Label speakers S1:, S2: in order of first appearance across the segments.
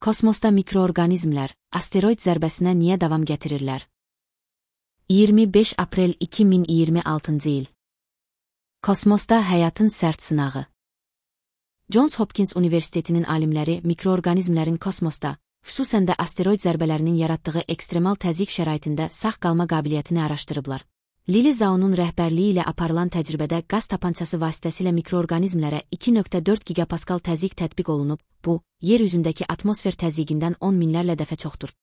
S1: Kosmosda mikroorqanizmlər asteroid zərbəsinə niyə davam gətirirlər? 25 aprel 2026 il. Kosmosda həyatın sərt sınağı. Johns Hopkins Universitetinin alimləri mikroorqanizmlərin kosmosda, xüsusən də asteroid zərbələrinin yaratdığı ekstremal təzyiq şəraitində sağ qalma qabiliyyətini araşdırıblar. Lili Zhao'nun rəhbərliyi ilə aparılan təcrübədə qaz tapançası vasitəsilə mikroorqanizmlərə 2,4 gigapaskal təzyiq tətbiq olunub, bu, yer üzündəki atmosfer təzyiqindən 10 minlərlə dəfə çoxdur.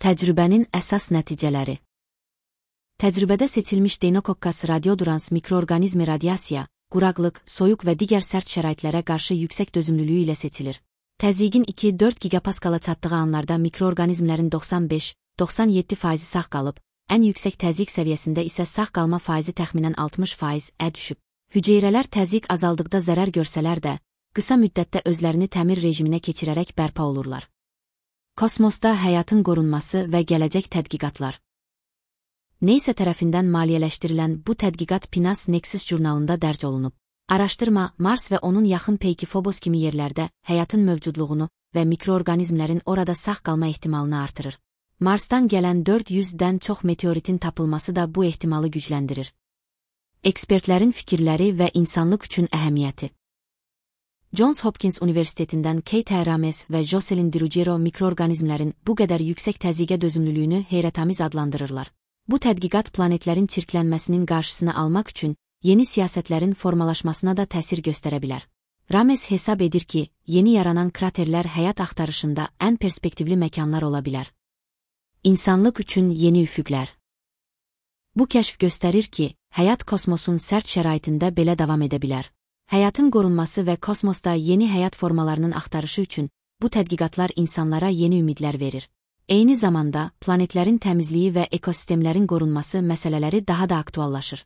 S1: Təcrübənin əsas nəticələri. Təcrübədə seçilmiş Deinococcus radiodurans mikroorqanizmi radiasiya, quraqlıq, soyuq və digər sərt şəraitlərə qarşı yüksək dözümlülüyü ilə seçilir. Təzyiqin 2-4 gigapaskala çatdığı anlarda mikroorqanizmlərin 95-97% sağ qalıb, ən yüksək təzyiq səviyyəsində isə sağ qalma faizi təxminən 60% düşüb. Hüceyrələr təzyiq azaldıqda zərər görsələr də, qısa müddətdə özlərini təmir rejiminə keçirərək bərpa olurlar. Kosmosda həyatın qorunması və gələcək tədqiqatlar. NASA tərəfindən maliyyələşdirilən bu tədqiqat PNAS Nexus jurnalında dərc olunub. Araşdırma Mars və onun yaxın peyki Phobos kimi yerlərdə həyatın mövcudluğunu və mikroorqanizmlərin orada sağ qalma ehtimalını artırır. Marsdan gələn 400-dən çox meteoritin tapılması da bu ehtimalı gücləndirir. Ekspertlərin fikirləri və insanlıq üçün əhəmiyyəti. Johns Hopkins Universitetindən Kate Rames və Jocelyn DiRuggiero mikroorqanizmlərin bu qədər yüksək təzyiqə dözümlülüyünü heyrətamiz adlandırırlar. Bu tədqiqat planetlərin çirklənməsinin qarşısını almaq üçün yeni siyasətlərin formalaşmasına da təsir göstərə bilər. Rames hesab edir ki, yeni yaranan kraterlər həyat axtarışında ən perspektivli məkanlar ola bilər. İnsanlıq üçün yeni üfüqlər. Bu kəşf göstərir ki, həyat kosmosun sərt şəraitində belə davam edə bilər. Həyatın qorunması və kosmosda yeni həyat formalarının axtarışı üçün bu tədqiqatlar insanlara yeni ümidlər verir. Eyni zamanda, planetlərin təmizliyi və ekosistemlərin qorunması məsələləri daha da aktuallaşır.